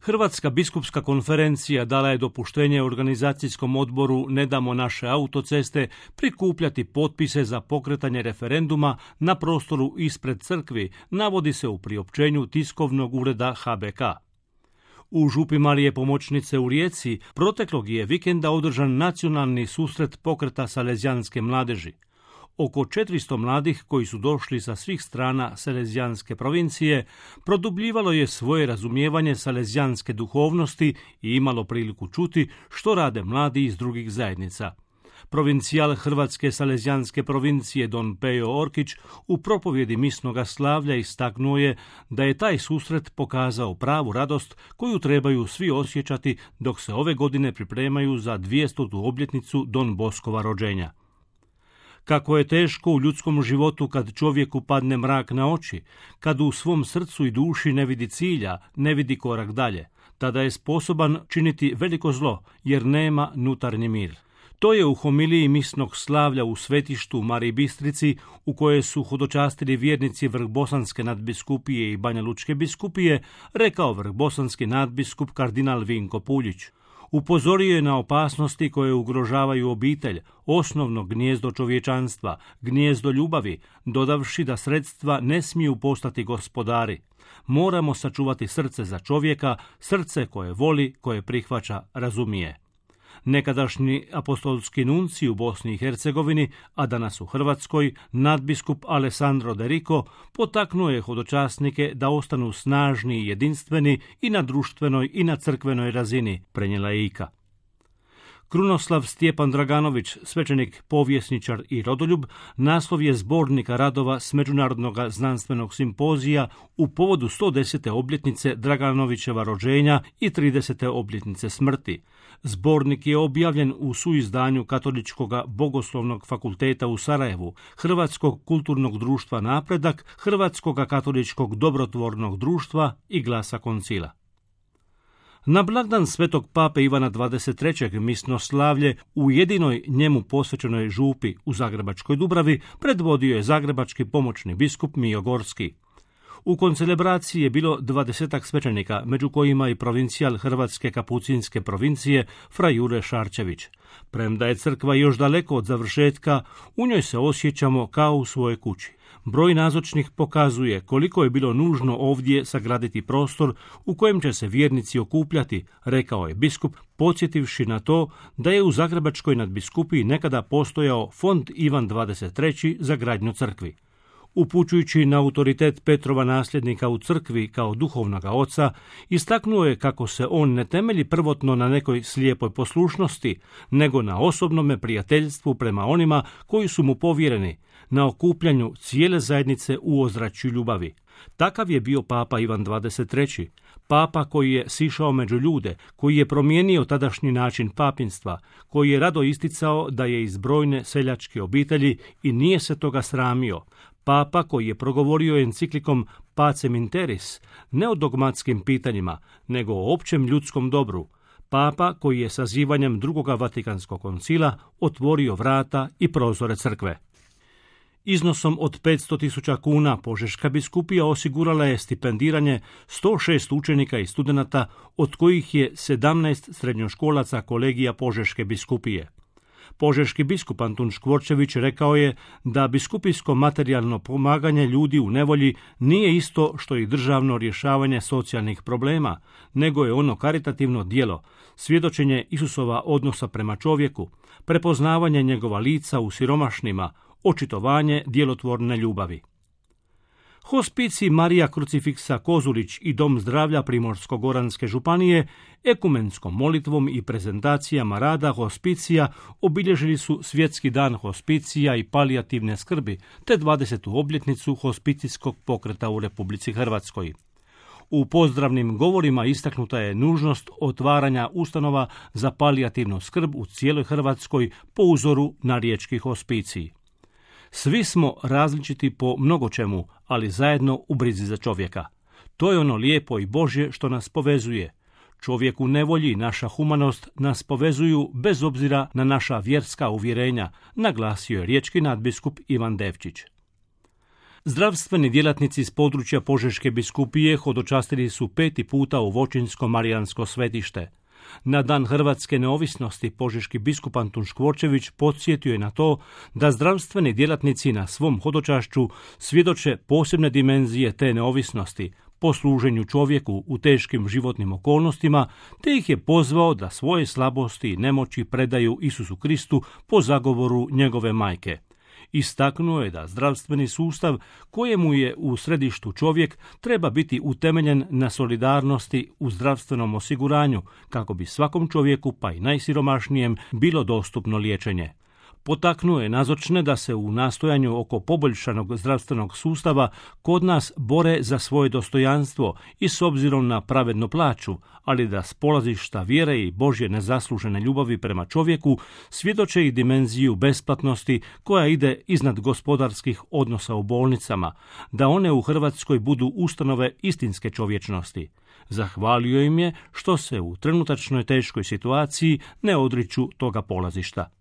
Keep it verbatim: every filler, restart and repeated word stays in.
Hrvatska biskupska konferencija dala je dopuštenje organizacijskom odboru Ne damo naše autoceste prikupljati potpise za pokretanje referenduma na prostoru ispred crkvi, navodi se u priopćenju tiskovnog ureda H B K. U Župi Marije Pomoćnice u Rijeci proteklog je vikenda održan nacionalni susret pokreta Salezijanske mladeži. Oko četiristo mladih koji su došli sa svih strana Salezijanske provincije produbljivalo je svoje razumijevanje salezijanske duhovnosti i imalo priliku čuti što rade mladi iz drugih zajednica. Provincijal Hrvatske Salezijanske provincije Don Pejo Orkić u propovjedi misnoga slavlja istaknuo je da je taj susret pokazao pravu radost koju trebaju svi osjećati dok se ove godine pripremaju za dvjestotu obljetnicu Don Boskova rođenja. Kako je teško u ljudskom životu kad čovjeku padne mrak na oči, kad u svom srcu i duši ne vidi cilja, ne vidi korak dalje, tada je sposoban činiti veliko zlo jer nema nutarnji mir. To je u homiliji misnog slavlja u svetištu Mariji Bistrici, u kojoj su hodočastili vjernici Vrhbosanske nadbiskupije i Banja Lučke biskupije, rekao vrhbosanski nadbiskup kardinal Vinko Puljić. Upozorio je na opasnosti koje ugrožavaju obitelj, osnovno gnijezdo čovječanstva, gnijezdo ljubavi, dodavši da sredstva ne smiju postati gospodari. Moramo sačuvati srce za čovjeka, srce koje voli, koje prihvaća, razumije. Nekadašnji apostolski nunci u Bosni i Hercegovini, a danas u Hrvatskoj, nadbiskup Alessandro De Rico potaknuo je hodočasnike da ostanu snažni i jedinstveni i na društvenoj i na crkvenoj razini, prenijela je I K A. Krunoslav Stjepan Draganović, svećenik, povjesničar i rodoljub, naslov je zbornika radova s Međunarodnog znanstvenog simpozija u povodu sto desete obljetnice Draganovićeva rođenja i tridesete obljetnice smrti. Zbornik je objavljen u suizdanju Katoličkog bogoslovnog fakulteta u Sarajevu, Hrvatskog kulturnog društva Napredak, Hrvatskog katoličkog dobrotvornog društva i Glasa koncila. Na blagdan svetog pape Ivana dvadeset trećeg misno slavlje u jedinoj njemu posvećenoj župi u Zagrebačkoj Dubravi predvodio je zagrebački pomoćni biskup Mijo Gorski. U koncelebraciji je bilo dvadesetak svećenika, među kojima i provincijal Hrvatske kapucinske provincije fra Jure Šarčević. Premda je crkva još daleko od završetka, u njoj se osjećamo kao u svojoj kući. Broj nazočnih pokazuje koliko je bilo nužno ovdje sagraditi prostor u kojem će se vjernici okupljati, rekao je biskup, podsjetivši na to da je u Zagrebačkoj nadbiskupiji nekada postojao fond Ivan dvadeset treći za gradnju crkvi. Upućujući na autoritet Petrova nasljednika u crkvi kao duhovnoga oca, istaknuo je kako se on ne temelji prvotno na nekoj slijepoj poslušnosti, nego na osobnome prijateljstvu prema onima koji su mu povjereni, na okupljanju cijele zajednice u ozračju ljubavi. Takav je bio papa Ivan dvadeset treći, papa koji je sišao među ljude, koji je promijenio tadašnji način papinstva, koji je rado isticao da je iz brojne seljačke obitelji i nije se toga sramio, papa koji je progovorio enciklikom Pacem in Terris, ne o dogmatskim pitanjima, nego o općem ljudskom dobru, papa koji je sazivanjem drugoga Vatikanskog koncila otvorio vrata i prozore crkve. Iznosom od petsto tisuća kuna Požeška biskupija osigurala je stipendiranje sto šest učenika i studenata, od kojih je sedamnaest srednjoškolaca kolegija Požeške biskupije. Požeški biskup Antun Škvorčević rekao je da biskupijsko materijalno pomaganje ljudi u nevolji nije isto što i državno rješavanje socijalnih problema, nego je ono karitativno djelo, svjedočenje Isusova odnosa prema čovjeku, prepoznavanje njegova lica u siromašnima, očitovanje djelotvorne ljubavi. Hospicij Marija Krucifiksa Kozulić i Dom zdravlja Primorsko-goranske županije ekumenskom molitvom i prezentacijama rada hospicija obilježili su Svjetski dan hospicija i palijativne skrbi te dvadesetu obljetnicu hospicijskog pokreta u Republici Hrvatskoj. U pozdravnim govorima istaknuta je nužnost otvaranja ustanova za palijativnu skrb u cijeloj Hrvatskoj po uzoru na riječki hospicij. Svi smo različiti po mnogo čemu, ali zajedno u brizi za čovjeka. To je ono lijepo i Božje što nas povezuje. Čovjek u nevolji i naša humanost nas povezuju bez obzira na naša vjerska uvjerenja, naglasio je riječki nadbiskup Ivan Devčić. Zdravstveni djelatnici iz područja Požeške biskupije hodočastili su peti puta u Voćinsko Marijansko svetište. Na dan hrvatske neovisnosti požeški biskup Antun Škvorčević podsjetio je na to da zdravstveni djelatnici na svom hodočašću svjedoče posebne dimenzije te neovisnosti, po služenju čovjeku u teškim životnim okolnostima, te ih je pozvao da svoje slabosti i nemoći predaju Isusu Kristu po zagovoru njegove majke. Istaknuo je da zdravstveni sustav, kojemu je u središtu čovjek, treba biti utemeljen na solidarnosti u zdravstvenom osiguranju, kako bi svakom čovjeku, pa i najsiromašnijem, bilo dostupno liječenje. Potaknuo je nazočne da se u nastojanju oko poboljšanog zdravstvenog sustava kod nas bore za svoje dostojanstvo i s obzirom na pravednu plaću, ali da s polazišta vjere i Božje nezaslužene ljubavi prema čovjeku svjedoče i dimenziju besplatnosti koja ide iznad gospodarskih odnosa u bolnicama, da one u Hrvatskoj budu ustanove istinske čovječnosti. Zahvalio im je što se u trenutačnoj teškoj situaciji ne odriču toga polazišta.